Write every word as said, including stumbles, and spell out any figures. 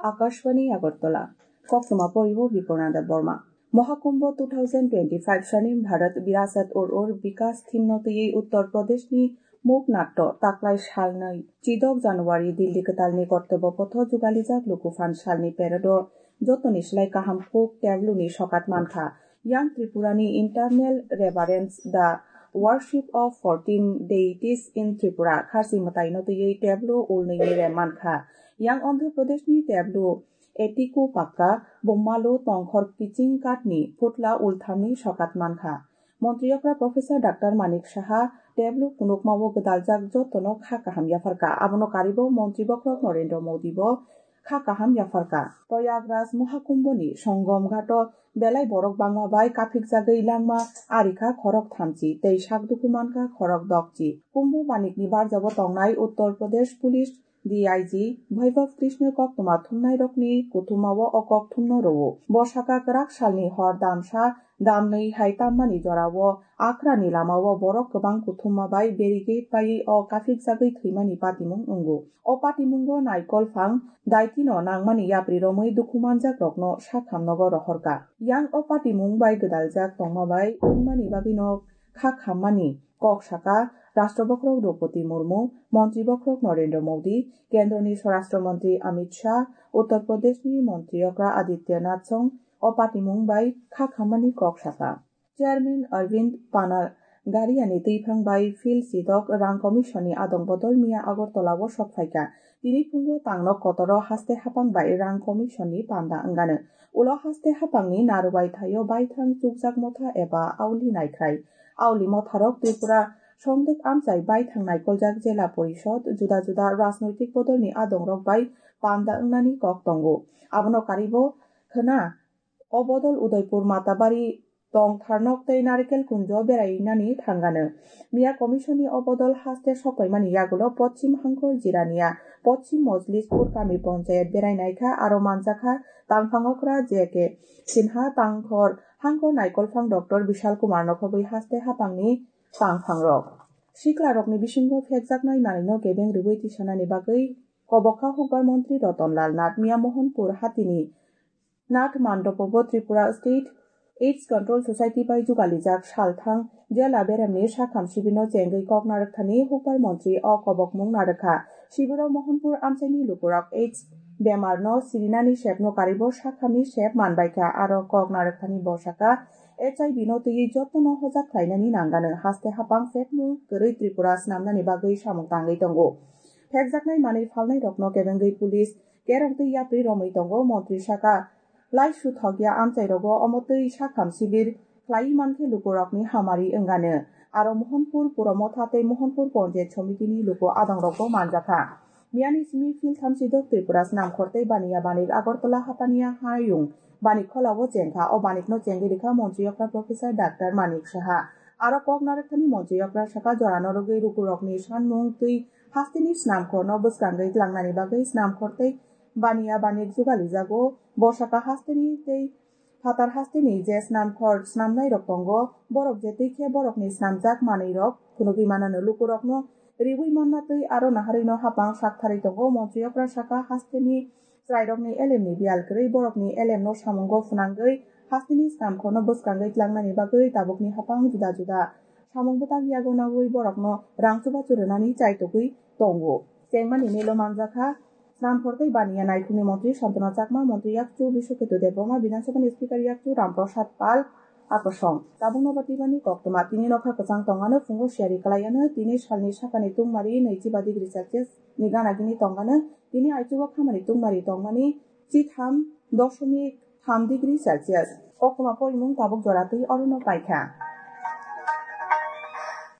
Akashvani Agartala. Koktwma poribo Bipornanda Borma. Mohakumbho two thousand twenty-five sani Bharat Virasat Ur Ur Vikas theme no twiwi Uttar Pradesh ni Mukhnatto taklai salnwi chidok January Delhi kwtalni Kortobbo Potho jugalijak lukuphan salni parade o jotoni slai kaham kuk tablu ni sokat mankha. Yang Tripura ni internal reverence, the worship of fourteen deities in Tripura kharsi mwtai no twiwi tablu ulnwi ni rem mankha. Yang Andhra Pradesh ni tablu Etiku Pakka, Bommalu Tongkhor Kiching Katni Phutla Ulthamni Sokat Mankha. Montri Okra Professor Doctor Manik Saha, Teblu Kunukmao Gwdaljak Jotono Kha Kaham Yapharka. Abono Karibo Montri Bokhorok Narendra Modi bo Kha Kaham Yapharka. Prayagraj Mohakumbhoni Songom Ghato Belai Borok Bangma Bai Kaphikjagwi Langma Arikha Khorok Thamchi Tei Sakdukhu Mankha Khorok Dokchi. Kumbho Banikni Barjabo Tongnai Uttar Pradesh Police D I G Vaibhav Krishna koktwma thumnairokni kuthumao o kok thumno rwo. Bo saka kwrak salni hor damsa damnwi hai tammani jorao Akrani lamao borok kwbang kuthumma bai barricade paiwi o kaphikjagwi thwimani patimung wngo. O patimungo naikol phang daitino nangmani yapri romwi dukhu manjakrokno sakhamnogo rohorkha. Yang o patimung bai gwdaljak tongma bai wngmani bagwino kha khammani kok saka Rashtra Bokhorok Droupadi Murmu, Montri Bokhorok Narendra Modi, Kendroni Swarashtra Montri Amit Shah, Uttar Pradeshni Montri Okra Aditya Nath Song o patimung bai kha khammani kok saka. Chairman Arvind Panagariani twiphang bai Phil Sidok Rang Commission ni adong bodol miya Agartala o sok phaikha. Tini phungo tangno kotoro haste hapang bai Rang Commission ni panda wngano. Ulo haste hapangni narubai thaio baithang chukjak motha eba auli naikhrai. Auli motharok Tripura songdwk amchai baithang naikoljak jela porishod, juda juda rajnoitik bodolni adongrok bai panda wngnani kok tongo. Abono karibo khwna o bodol Udaipur Matabari Tongtharnok tei Narikel Kunjo berainani thangano. Miya Commission ni o bodol haste sokpaimani yagulo Pochim Hangkor Jirania, Pochim Mojlispur Kami Ponchayat berainaikha aro manjakha tangphang okra J K Sinha, tangkhor hangkor naikolphang Doctor Bishal Kumar nokhobwi haste hapangni tangphangrok. Siklarokni bisingo phekjaknai manwino kebeng rwui tisanani bagwi kobokha hukbar montri Roton Lal Nath miya Mohanpur hatini Nath Mandopo bo Tripura State AIDS Control Society bai jugalijak salthang jela beremni sakham sibirno chengwi kok narwkthani hukbar montri o kobokmung narwkha. Sibiro Mohanpur amchaini lukurok AIDS bemarno sirinani sepno karibo sakhamni sep manbaikha, aro kok narwkthani bosaka H I V no twiwi jotono hojak khlainani nangano haste hapang sepmung kwrwi Tripura snamnani bagwi samung tangwi tongo. Phekjaknai manwi phalnairokno kebengwi police kerong twi yapri romwi tongo. Montri saka, lai suthokya amchairogo omo twi sakham sibir khlaiwi mankhe lukurokni hamari wngano. Aro Mohanpur Puromotha tei Mohanpur Ponchayat Somitini luku adongrokbo manjakha. Miyani simi phil thamsidok Tripura Snamkhor tei Baniya Banik Agartala Hapaniya Hayung Banik Kholao chengkha. O banikno chengwi rikha Montri Okra Professor Doctor Manik Saha. Aro kok narwkthani Montri Okra saka jorano rwgwi lukurokni sanmung twi hasteni snamkhorno bwskangwi tlangnani bagwi snamkhor tei Baniya Banik jugalijago. Bosaka hasteni tei phatar hasteni je snamkhor snamnairok tongo, borok je twi khe borokni snamjak manwirok phunugwi manano lukurokno riui manna twi aro naharwino hapang saktharwi tongo. Montri Okra saka hasteni chwrairokni elemni biyal kwrwi borokni elemno samungo phwnangwi hasteni snamkhorno bwskangwi tlangnani bagwi tabukni hapang juda juda samung bwtang yago naui borokno rang chubachu rwnani chaitugwi tongo. Chengmani melo manjakha Snamkhor tei Baniya Naikhungni Montri Santana Chakma, Montri Yakchu Biswaketu Debbarma, Bidhan Sabhani Speaker Yakchu Ram Prasad Pal, Akosong. Tabukno ba twibani koktwma. Tini nokha kwchang tongano phungo siyari kwlaiano, tini salni sakani tungmari naichiba degree Celsius ni gana gini tongano, tini aichugo khamani tungmari tongmani chitham doshomik tham degree Celsius. Koktwma porimung tabuk jora twi orono paikha.